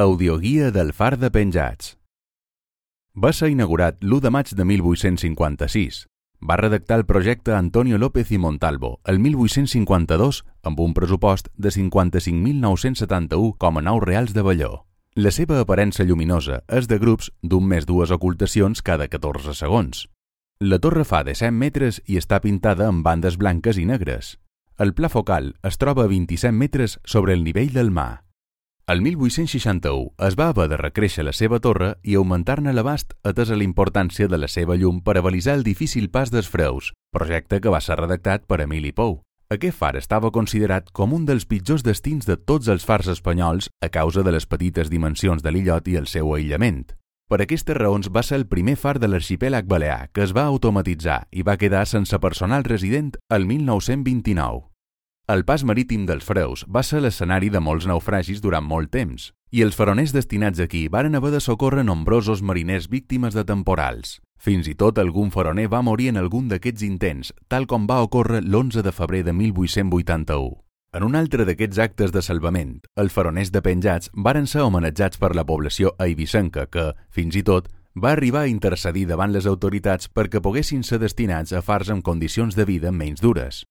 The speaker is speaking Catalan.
Audioguia del Far de Penjats. Va ser inaugurat l'1 de maig de 1856. Va redactar el projecte Antonio López i Montalvo el 1852 amb un pressupost de 55.971,9 reals de velló. La seva aparença lluminosa és de grups d'un més dues ocultacions cada 14 segons. La torre fa de 100 metres i està pintada amb bandes blanques i negres. El pla focal es troba a 27 metres sobre el nivell del mar. El 1861 es va haver de recréixer la seva torre i augmentar-ne l'abast atesa la importància de la seva llum per a balisar el difícil pas dels Freus, projecte que va ser redactat per Emili Pou. Aquest far estava considerat com un dels pitjors destins de tots els fars espanyols a causa de les petites dimensions de l'illot i el seu aïllament. Per aquestes raons va ser el primer far de l'arxipèlag balear que es va automatitzar i va quedar sense personal resident el 1929. El pas marítim dels Freus va ser l'escenari de molts naufragis durant molt temps, i els faroners destinats aquí varen haver de socórrer nombrosos mariners víctimes de temporals. Fins i tot algun faroner va morir en algun d'aquests intents, tal com va ocórrer l'11 de febrer de 1881. En un altre d'aquests actes de salvament, els faroners de Penjats varen ser homenatjats per la població eivissenca que, fins i tot, va arribar a intercedir davant les autoritats perquè poguessin ser destinats a fars amb condicions de vida menys dures.